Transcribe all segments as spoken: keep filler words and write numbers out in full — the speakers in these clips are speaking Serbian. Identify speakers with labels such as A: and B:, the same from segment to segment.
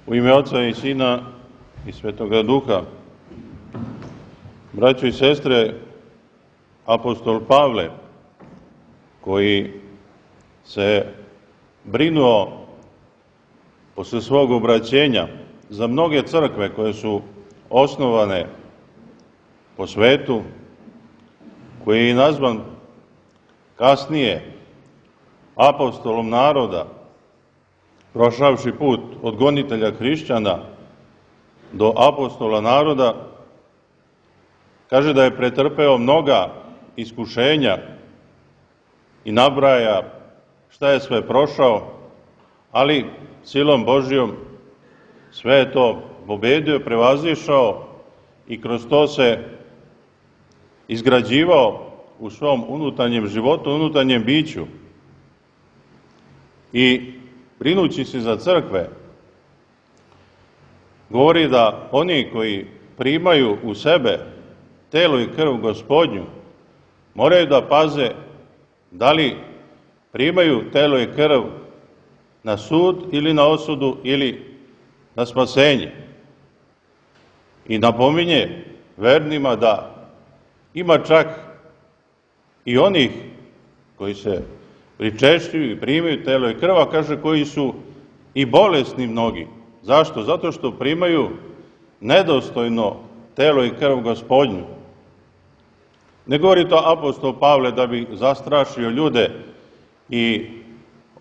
A: U ime Oca i Sina i Svetoga Duha. Braćo i sestre, apostol Pavle, koji se brinuo posle svog obraćenja za mnoge crkve koje su osnovane po svetu, koji je i nazvan kasnije apostolom naroda, prošavši put od gonitelja hrišćana do apostola naroda, kaže da je pretrpeo mnoga iskušenja i nabraja šta je sve prošao, ali silom Božjom sve je to pobedio, prevazišao i kroz to se izgrađivao u svom unutarnjem životu, unutarnjem biću. I brinući se za crkve, govori da oni koji primaju u sebe telo i krv Gospodnju moraju da paze da li primaju telo i krv na sud ili na osudu ili na spasenje. I napominje vernima da ima čak i onih koji se pričešćuju i primaju telo i krv, a kaže koji su i bolesni mnogi. Zašto? Zato što primaju nedostojno telo i krv Gospodnju. Ne govori to apostol Pavle da bi zastrašio ljude i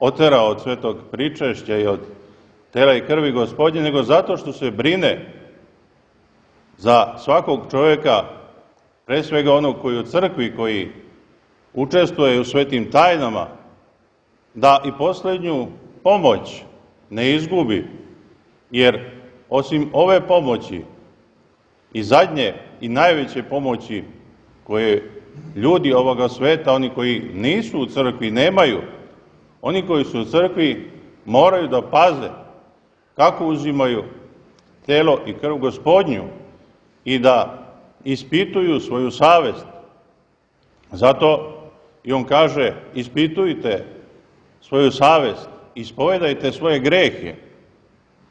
A: oterao od svetog pričešća i od tela i krvi Gospodnje, nego zato što se brine za svakog čovjeka, pre svega onog koji u crkvi, koji učestvuje u svetim tajnama, da i posljednju pomoć ne izgubi, jer osim ove pomoći i zadnje i najveće pomoći koje ljudi ovoga sveta, oni koji nisu u crkvi, nemaju, oni koji su u crkvi moraju da paze kako uzimaju telo i krv Gospodnju i da ispituju svoju savest. Zato i on kaže, ispitujte svoju savest, ispovedajte svoje grehe.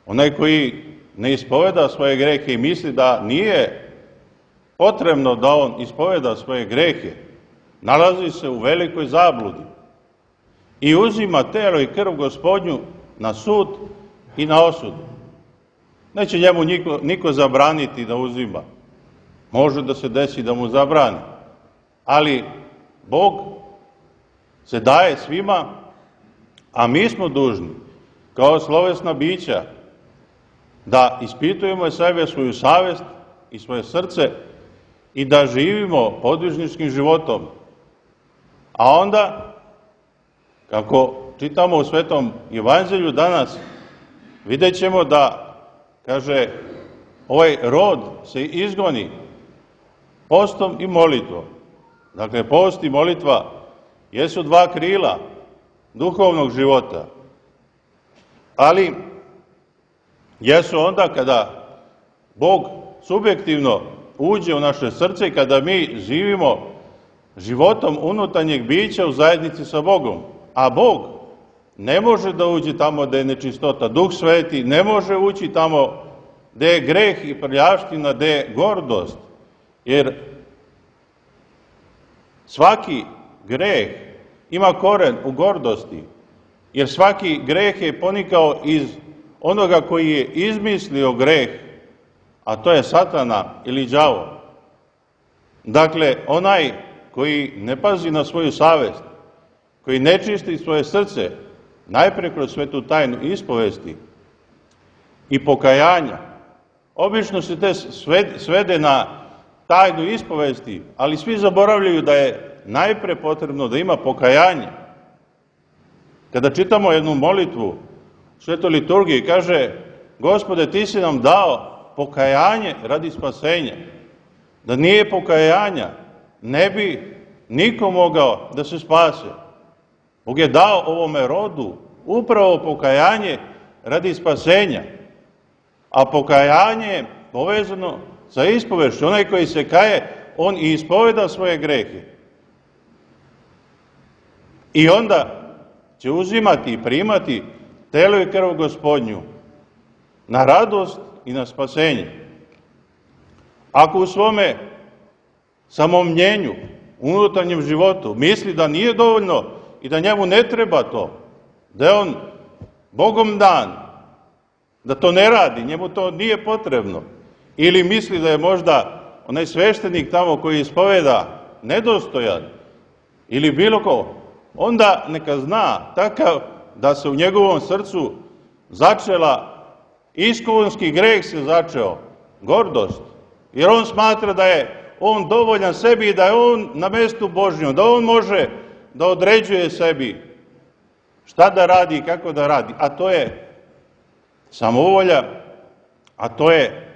A: Onaj koji ne ispoveda svoje grehe i misli da nije potrebno da on ispoveda svoje grehe, nalazi se u velikoj zabludi i uzima telo i krv Gospodnju na sud i na osudu. Neće njemu niko, niko zabraniti da uzima. Može da se desi da mu zabrani, ali Bog se daje svima, a mi smo dužni, kao slovesna bića, da ispitujemo sebe, svoju savest i svoje srce i da živimo podvižničkim životom. A onda, kako čitamo u Svetom Evanđelju danas, vidjet ćemo da, kaže, ovaj rod se izgoni postom i molitvom. Dakle, post i molitva jesu dva krila duhovnog života, ali jesu onda kada Bog subjektivno uđe u naše srce i kada mi živimo životom unutarnjeg bića u zajednici sa Bogom. A Bog ne može da uđe tamo gde je nečistota. Duh Sveti ne može ući tamo gde je greh i prljavština, gde je gordost. Jer svaki greh ima koren u gordosti. Jer svaki greh je ponikao iz onoga koji je izmislio greh, a to je Satana ili đavo. Dakle, onaj koji ne pazi na svoju savest, koji ne čisti svoje srce, najpre kroz svetu tajnu ispovesti i pokajanja. Obično se te svede na tajnu ispovesti, ali svi zaboravljaju da je najpre potrebno da ima pokajanje. Kada čitamo jednu molitvu u svetoj liturgiji, kaže, Gospode, ti si nam dao pokajanje radi spasenja. Da nije pokajanja, ne bi niko mogao da se spase. Bog je dao ovome rodu upravo pokajanje radi spasenja. A pokajanje je povezano sa ispovešću. Onaj koji se kaje, on i ispoveda svoje grehe. I onda će uzimati i primati telo i krv Gospodnju na radost i na spasenje. Ako u svome samomnjenju, unutarnjem životu, misli da nije dovoljno i da njemu ne treba to, da je on Bogom dan, da to ne radi, njemu to nije potrebno, ili misli da je možda onaj sveštenik tamo koji ispoveda nedostojan, ili bilo ko, onda neka zna takav da se u njegovom srcu začela, iskonski greh se začeo, gordost, jer on smatra da je on dovoljan sebi i da je on na mestu Božjom, da on može da određuje sebi šta da radi i kako da radi, a to je samovolja, a to je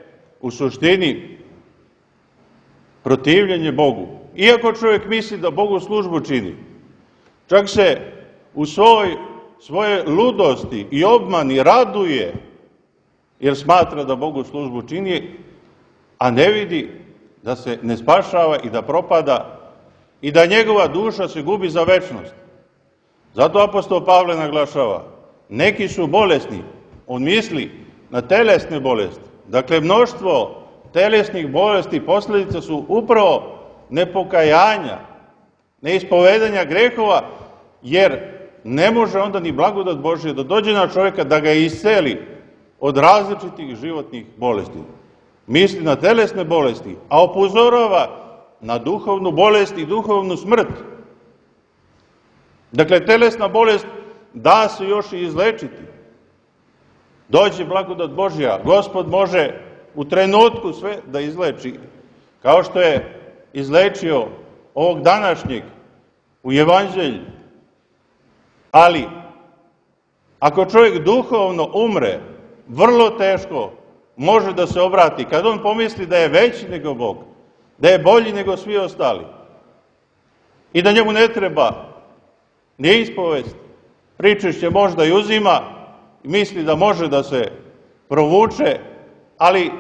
A: u suštini protivljenje Bogu. Iako čovjek misli da Bogu službu čini, čak se u svoj, svoje ludosti i obmani raduje, jer smatra da Bogu službu čini, a ne vidi da se ne spašava i da propada i da njegova duša se gubi za večnost. Zato apostol Pavle naglašava, neki su bolesni, on misli na telesne bolesti. Dakle, mnoštvo telesnih bolesti posljedica su upravo nepokajanja, neispovedanja grehova, jer ne može onda ni blagodat Božja da dođe na čovjeka da ga isceli od različitih životnih bolesti. Misli na telesne bolesti, a upozorava na duhovnu bolest i duhovnu smrt. Dakle, telesna bolest da se još i izlečiti. Dođe blagodat Božja, Gospod može u trenutku sve da izleči, kao što je izlečio ovog današnjeg u Evanđelju. Ali, ako čovjek duhovno umre, vrlo teško može da se obrati, kad on pomisli da je veći nego Bog, da je bolji nego svi ostali i da njemu ne treba ni ispovest, pričešće možda i uzima, misli da može da se provuče, ali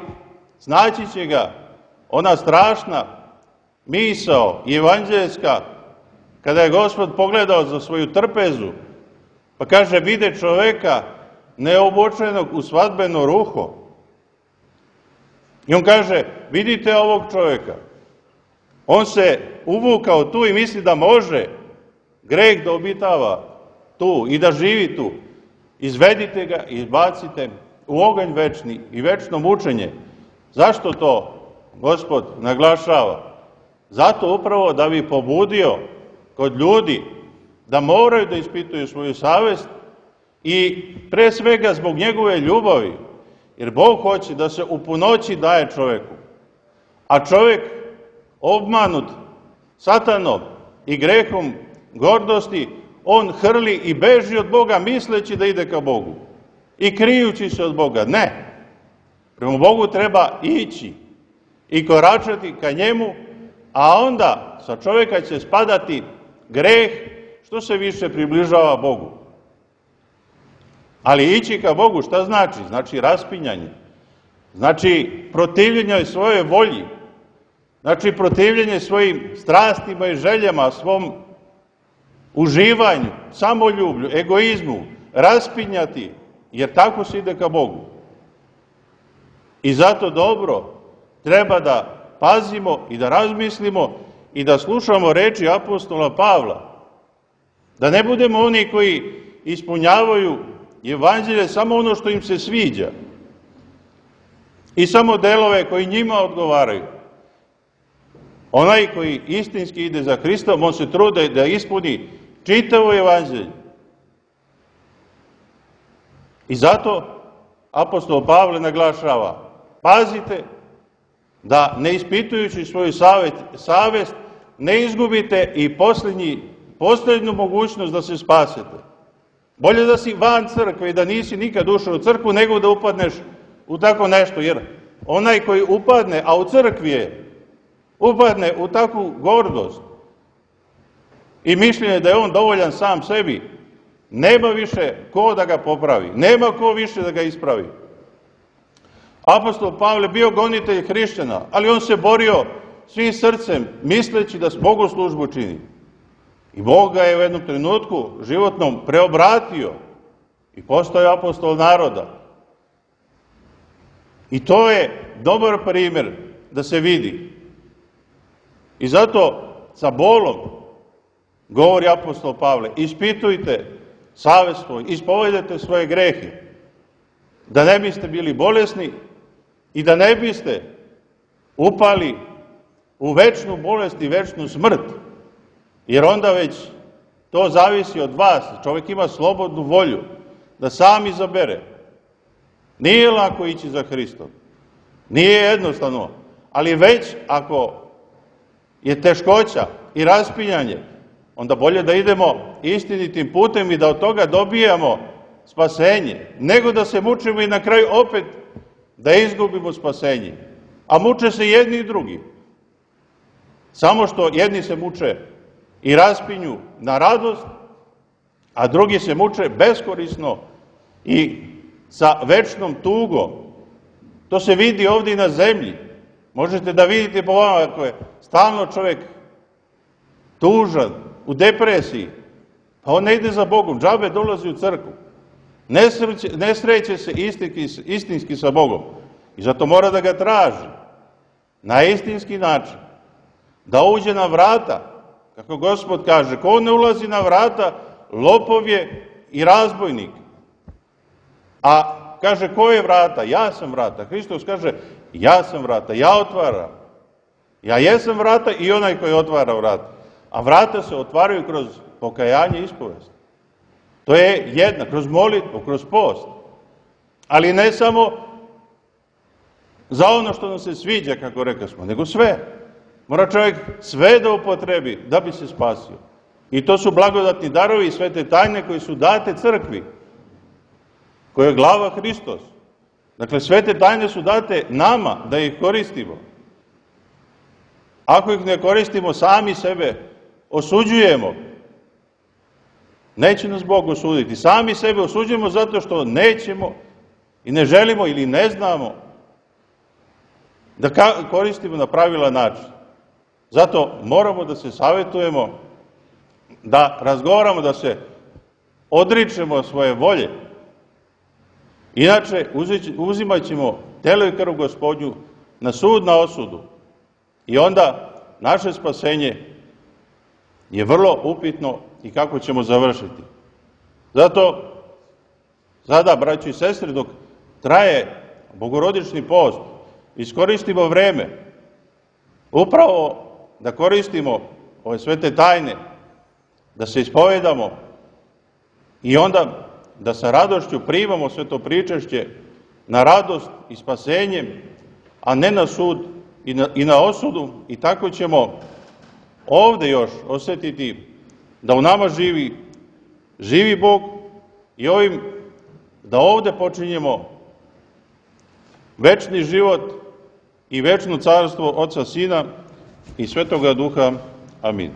A: znaći će ga ona strašna misao evanđeljska, kada je Gospod pogledao za svoju trpezu, pa kaže, vide čoveka neobučenog u svadbeno ruho. I on kaže, vidite ovog čovjeka, on se uvukao tu i misli da može greh da obitava tu i da živi tu. Izvedite ga i izbacite u oganj večni i večno mučenje. Zašto to Gospod naglašava? Zato upravo da bi pobudio kod ljudi da moraju da ispituju svoju savest i pre svega zbog njegove ljubavi, jer Bog hoće da se u punoći daje čovjeku. A čovjek obmanut satanom i grehom gordosti, on hrli i beži od Boga misleći da ide ka Bogu i krijući se od Boga. Ne, prema Bogu treba ići i koračati ka njemu, a onda sa čovjeka će spadati greh što se više približava Bogu. Ali ići ka Bogu šta znači? Znači raspinjanje, znači protivljenje svojoj volji, znači protivljenje svojim strastima i željama, svom uživanju, samoljublju, egoizmu, raspinjati, jer tako se ide ka Bogu. I zato dobro treba da pazimo i da razmislimo i da slušamo reči apostola Pavla, da ne budemo oni koji ispunjavaju evanđelje samo ono što im se sviđa i samo delove koji njima odgovaraju. Onaj koji istinski ide za Hristom, on se trude da ispuni čitavo evanđelje. I zato apostol Pavle naglašava, pazite da ne ispitujući svoju savjet, savest ne izgubite i posljednji, posljednju mogućnost da se spasete. Bolje da si van crkve i da nisi nikad ušao u crkvu, nego da upadneš u tako nešto, jer onaj koji upadne, a u crkvi je, upadne u takvu gordost i mišljenje da je on dovoljan sam sebi, nema više ko da ga popravi, nema ko više da ga ispravi. Apostol Pavle bio gonitelj hrišćana, ali on se borio svim srcem, misleći da s Bogu službu čini. I Bog ga je u jednom trenutku životnom preobratio i postao je apostol naroda. I to je dobar primjer da se vidi. I zato sa bolom govori apostol Pavle, ispitujte savest svoj, ispovedajte svoje grehe, da ne biste bili bolesni i da ne biste upali u večnu bolest i večnu smrt, jer onda već to zavisi od vas. Čovjek ima slobodnu volju da sam izabere. Nije lako ići za Hristom, nije jednostavno, ali već ako je teškoća i raspinjanje, onda bolje da idemo istinitim putem i da od toga dobijamo spasenje, nego da se mučimo i na kraju opet da izgubimo spasenje. A muče se jedni i drugi. Samo što jedni se muče i raspinju na radost, a drugi se muče beskorisno i sa večnom tugom. To se vidi ovdje i na zemlji. Možete da vidite po vama ako je stalno čovjek tužan, u depresiji, pa on ne ide za Bogom, džabe dolazi u crkvu. Ne, sreće, ne sreće se istinski, istinski sa Bogom. I zato mora da ga traži na istinski način. Da uđe na vrata, kako Gospod kaže, ko ne ulazi na vrata, lopov je i razbojnik. A kaže, ko je vrata? Ja sam vrata. Hristos kaže, ja sam vrata, ja otvaram. Ja jesam vrata i onaj koji otvara vrata. A vrata se otvaraju kroz pokajanje i ispovest. To je jedna, kroz molitvu, kroz post. Ali ne samo za ono što nam se sviđa, kako rekli smo, nego sve. Mora čovjek sve da upotrebi da bi se spasio. I to su blagodatni darovi i svete tajne koji su date crkvi, koje je glava Hristos. Dakle, svete tajne su date nama da ih koristimo. Ako ih ne koristimo, sami sebe osuđujemo. Neće nas Bog osuditi. Sami sebe osuđujemo zato što nećemo i ne želimo ili ne znamo da koristimo na pravilan način. Zato moramo da se savjetujemo, da razgovaramo, da se odričemo svoje volje. Inače, uzimat ćemo telo i krv Gospodnju na sud, na osudu. I onda naše spasenje je vrlo upitno i kako ćemo završiti. Zato, sada, braći i sestre, dok traje bogorodični post, iskoristimo vreme upravo da koristimo ove svete tajne, da se ispovedamo i onda da sa radošću primamo sve to pričešće na radost i spasenjem, a ne na sud i na, i na osudu, i tako ćemo ovde još osjetiti da u nama živi, živi Bog i ovim da ovde počinjemo večni život i večno carstvo Oca, Sina i Svetoga Duha. Amin.